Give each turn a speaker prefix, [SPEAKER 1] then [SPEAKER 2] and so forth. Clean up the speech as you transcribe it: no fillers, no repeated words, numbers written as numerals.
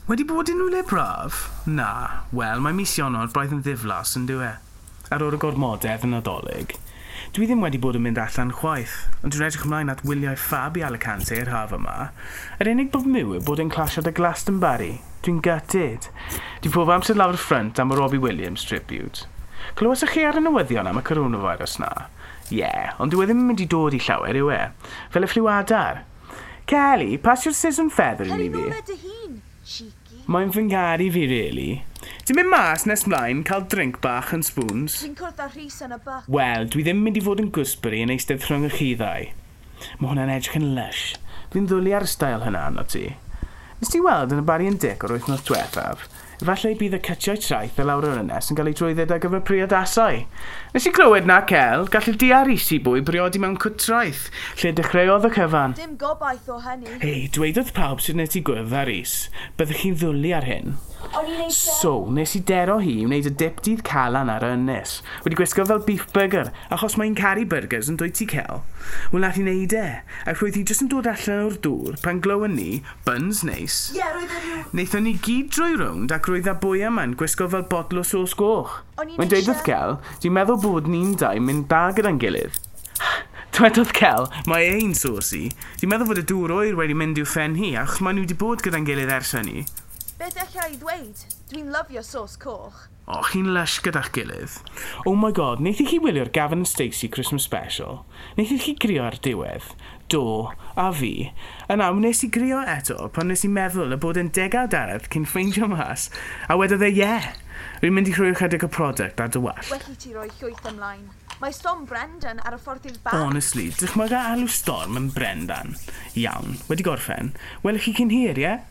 [SPEAKER 1] Wedi bod unrhyw le braf? Na. Wel, mae mis Ionawr braidd yn ddiflas yn dyw e. Ar ôl y gormodedd yn Nadolig. Dwi ddim wedi bod yn mynd allan chwaith, ond dwi'n edrych ymlaen at wyliau ffab i Alicante yr haf yma. Yr unig broblem yw bod e'n clasio 'da Glastonbury. Dwi'n gutted. Dwi pob amser lawr y ffrynt am y Robbie Williams tribute. Clywsoch chi ar y newyddion am y coronavirus na? Ie, yeah, ond dyw e ddim yn mynd i dod i llawer, yw e? Fel y ffliw adar. Kelly, pasio'r scissors feathering
[SPEAKER 2] Cer
[SPEAKER 1] i
[SPEAKER 2] i
[SPEAKER 1] fi.
[SPEAKER 2] nôl e dy hun, cheeky.
[SPEAKER 1] Mae'n fy ngharu fi, really. Ti'n mynd mas nes mlaen, cael drink bach yn Spoons?
[SPEAKER 2] Dwi'n cwrdd â Rhys yn y Buck.
[SPEAKER 1] Wel, dwi ddim yn mynd i fod yn gooseberry yn eistedd rhwng y chi ddau. Mae hwnna'n edrych yn lush. Fi'n ddwlu ar y style hynna arno ti. Nes ti weld yn y Barry and Dick o'r wythnos diwethaf? Efallai bydd y cytiau traeth y lawr yr ynnes yn cael ei drwydded ar gyfer priodasau. Nes i glywed na, Cel, gallu di a Rhys i bwy briodi mewn cwt traeth, lle dechreuodd y cyfan.
[SPEAKER 2] Dim gobaith o hynny.
[SPEAKER 1] Hei, dweudodd pawb sydd nes i gwrdd â Rhys, byddwch chi'n ddwlu ar hyn.
[SPEAKER 2] O'n i'n eisiau.
[SPEAKER 1] So, nes i dero hi i wneud y dip dydd Calan ar y ynys. Wedi gwisgo fel beef burger, achos mae'n caru burgers yn dwyt ti, Cel. Wel, nath i wneud e. Ac roedd hi jyst yn dod allan o'r dŵr pan glywon ni, buns neis.
[SPEAKER 2] Ie, roedd e rhyw.
[SPEAKER 1] Wnaethon ni gyd droi rownd ac roedd a bwy yma'n gwisgo fel botl o sos goch.
[SPEAKER 2] O'n i'n
[SPEAKER 1] Mae'n dweud wrth
[SPEAKER 2] eisiau.
[SPEAKER 1] Cel, dwi'n meddwl bod ni'n dau mynd da gyda'n gilydd. Dwedodd Cel, mae ein saucy. Dwi'n meddwl fod y dŵr oer wedi mynd i'w phen hi, achos maen nhw wedi bod gyda'n gilydd ers hynny.
[SPEAKER 2] Beth alla i ddweud? Dwi'n lyfio sos coch.
[SPEAKER 1] O, chi'n lush gyda'ch gilydd. Oh my God, wnaethoch chi wylio'r Gavin and Stacey Christmas Special? Wnaethoch chi grio ar diwedd? Do, a fi. Yna, wnes i grio eto pan nes i meddwl y bod yn degawd arall cyn ffeindio mas. A wedodd e, ie. Yeah. Rwy'n mynd i rhoi ychydig o product ar dy wallt.
[SPEAKER 2] Well i ti roi llwyth ymlaen. Mae Storm Brendan ar y ffordd i'r bar.
[SPEAKER 1] Honestly, dychmyga alw Storm yn Brendan. Iawn, wedi gorffen. Welwch chi cyn hir, ie? Yeah?